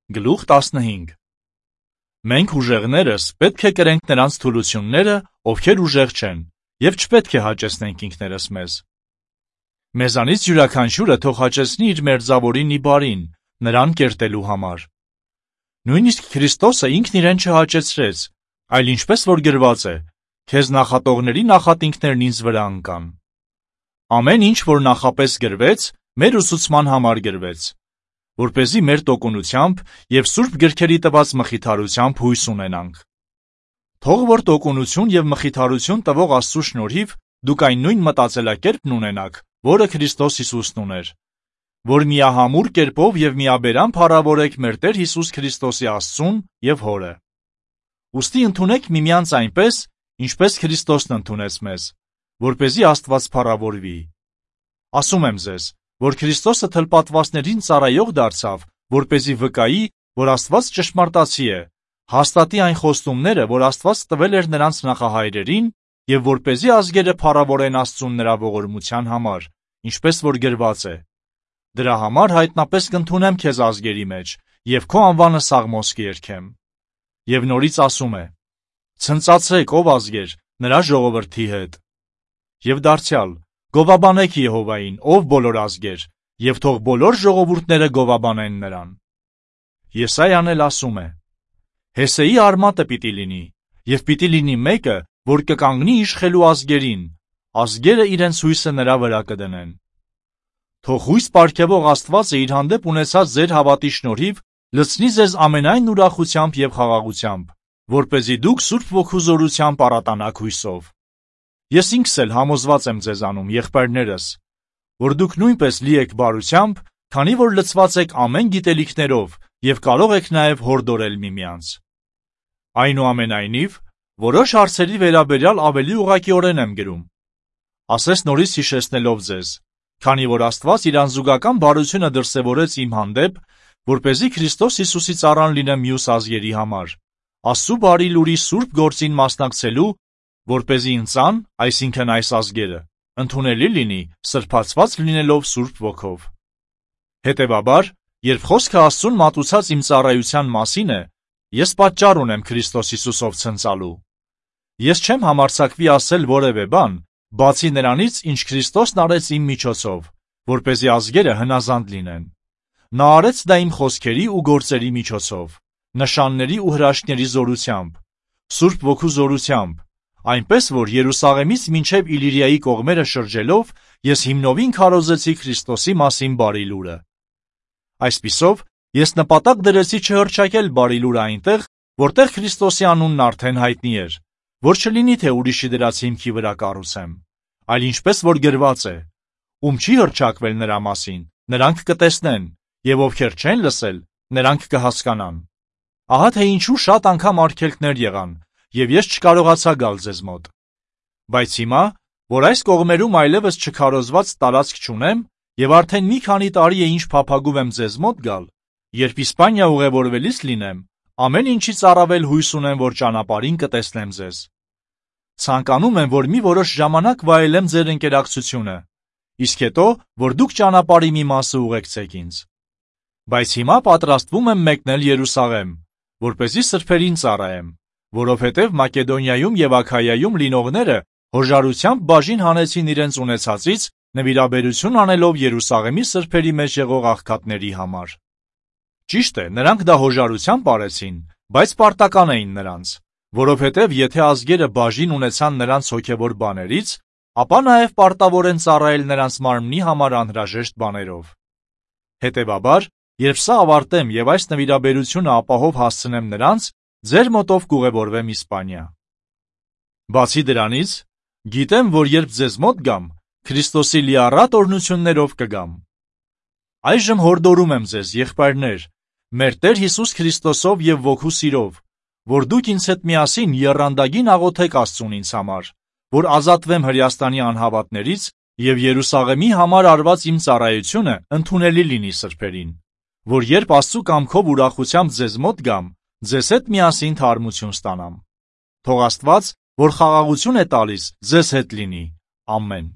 Գլուխ 15 Մենք ուժեղներս պետք է կրենք նրանց թուլությունները, ովքեր ուժեղ չեն, և չպետք է հաճեցնենք ինքներս մեզ։ Մեզանից յուրաքանչյուրը թող հաճեցնի իր մերձավորին ի բարին, նրան կերտելու համար։ Նույնիսկ Քրիստոսը ինքն իրեն չհաճեցրեց, այլ ինչպես որ գրված է, քեզ նախատողների նախատինքներն ինձ վրա ընկան։ Ամեն ինչ, որ նախապես գրվեց, մեր ուսուցման համար գրվեց, որպեսզի մեր տոկունությամբ և Սուրբ գրքերի տված մխիթարությամբ հույս ունենանք։ Թող որ տոկունություն և մխիթարություն տվող Աստծու շնորհիվ դուք այն նույն մտածելակերպն ունենաք, որը Քրիստոս Հիսուսն ուներ, որ միահամուռ կերպով և միաբերան փառավորեք մեր Տեր Հիսուս Քրիստոսի Աստծուն և Հորը։ Ուստի ընդունեք միմյանց այնպես, ինչպես Քրիստոսն ընդունեց մեզ, որպեսզի Աստված փառավորվի։ Ասում եմ ձեզ, որ Քրիստոսը թլպատվածներին ծառայող դարձավ, որպեսզի վկայի, որ Աստված ճշմարտացի է, հաստատի այն խոստումները, որ Աստված տվել էր նրանց նախահայրերին, և որպեսզի ազգերը փառավորեն Աստծուն նրա ողորմության համար, ինչպես որ գրված է. «Դրա համար հայտնապես կընդունեմ քեզ ազգերի մեջ, և քո անվանը սաղմոս կերքեմ»։ Եվ նորից ասում է. «Ցնծացեք, ով ազգեր, նրա ժողովրդի հետ»։ Եվ դարձյալ. «Գովաբանեք Եհովային, ով բոլոր ազգեր, և թող բոլոր ժողովուրդները գովաբանեն նրան»։ Եսայան էլ ասում է. «Հեսեի արմատը պիտի լինի, և պիտի լինի մեկը, որ կկանգնի իշխելու ազգերին, ազգերը իրենց հույսը նրա վրա կդնեն»։ Թող հույս պարգևող Աստվածը իր հանդեպ ունեցած ձեր հավատի շնորհիվ լցնի ձեզ ամենայն ուրախությամբ և խաղաղությամբ, որպեսզի դուք Սուրբ Ոգու զորությամբ առատանաք հույսով։ Ես ինքս էլ համոզված եմ ձեզանում, եղբայրներս, որ դուք նույնպես լի եք բարությամբ, քանի որ լցված եք ամեն գիտելիքներով և կարող եք նաև հորդորել միմյանց։ Այնուամենայնիվ, որոշ հարցերի վերաբերյալ ավելի ուղղակիորեն եմ գրում։ Ասես նորից հիշեցնելով ձեզ, քանի որ Աստված իր անզուգական բարությունը դրսևորեց իմ հանդեպ, որպեսզի Քրիստոս Հիսուսի ծառան լինեմ մյուս ազգերի համար, Աստծու բարի լուրի սուրբ գործին մասնակցելու, որպեսզի ինձան, այսինքն այս ազգերը, ընդունելի լինի սրբացված լինելով Սուրբ Ոգով։ Հետևաբար, երբ խոսքը Աստծուն մատուցած իմ ծառայության մասին է, ես պատճառ ունեմ Քրիստոս Հիսուսով ցնծալու։ Ես չեմ համարձակվի ասել որևէ բան, բացի նրանից, ինչ Քրիստոսն արեց իմ միջոցով, որպեսզի ազգերը հնազանդ լինեն։ Նա արեց դա իմ խոսքերի ու գործերի միջոցով, նշանների ու հրաշքների զորությամբ, Սուրբ Ոգու զորությամբ, այնպես որ Երուսաղեմից մինչև Իլիրիայի կողմերը շրջելով ես հիմնովին քարոզեցի Քրիստոսի մասին բարի լուրը։ Այսպիսով, ես նպատակ դրեցի չհռչակել բարի լուրը այնտեղ, որտեղ Քրիստոսի անունն արդեն հայտնի էր, որ չլինի թե ուրիշի դրած հիմքի վրա կառուցեմ, այլ ինչպես որ գրված է. «Ում չի հռչակվել նրա մասին, նրանք կտեսնեն, և ովքեր չեն լսել, նրանք կհասկանան»։ Ահա թե ինչու շատ անգամ արգելքներ եղան, և ես չկարողացա գալ ձեզ մոտ։ Բայց հիմա, որ այս կողմերում այլևս չքարոզված տարածք չունեմ, և արդեն մի քանի տարի է ինչ փափագում եմ ձեզ մոտ գալ, երբ Իսպանիա ուղևորվելիս լինեմ, ամեն ինչից առավել հույս ունեմ, որ ճանապարհին կտեսնեմ ձեզ։ Ցանկանում եմ, որ մի որոշ ժամանակ վայելեմ ձեր ընկերակցությունը, իսկ հետո, որ դուք ճանապարհի մի մասը ուղեկցեք ինձ։ Բայց հիմա պատրաստվում եմ մեկնել Երուսաղեմ, որպեսզի սրբերին ծառայեմ, որովհետև Մակեդոնիայում և Աքայայում լինողները հոժարությամբ բաժին հանեցին իրենց ունեցածից, նվիրաբերություն անելով Երուսաղեմի սրբերի մեջ եղող աղքատների համար։ Ճիշտ է, նրանք դա հոժարությամբ արեցին, բայց պարտական էին նրանց, որովհետև եթե ազգերը բաժին ունեցան նրանց հոգևոր բաներից, ապա նաև պարտավոր են ծառայել նրանց մարմնի համար անհրաժեշտ բաներով։ Հետևաբար, երբ սա ավարտեմ և այս նվիրաբերությունը ապահով հասցնեմ նրանց, ձեր մոտով կուղևորվեմ Իսպանիա։ Բացի դրանից, գիտեմ, որ երբ ձեզ մոտ գամ, Քրիստոսի լիառատ օրհնություններով կգամ։ Այժմ հորդորում եմ ձեզ, եղբայրներ, մեր Տեր Հիսուս Քրիստոսով և ոգու սիրով, որ դուք ինձ հետ միասին եռանդագին աղոթեք Աստծուն ինձ համար, որ ազատվեմ Հրեաստանի անհավատներից և Երուսաղեմի համար արված իմ ծառայությունը ընդունելի լինի սրբերին, որ երբ Աստծու կամքով ուրախությամբ ձեզ մոտ գամ, ձեզ հետ միասին թարմություն ստանամ։ Թող Աստված, որ խաղաղություն է տալիս, ձեզ հետ լինի։ Ամեն։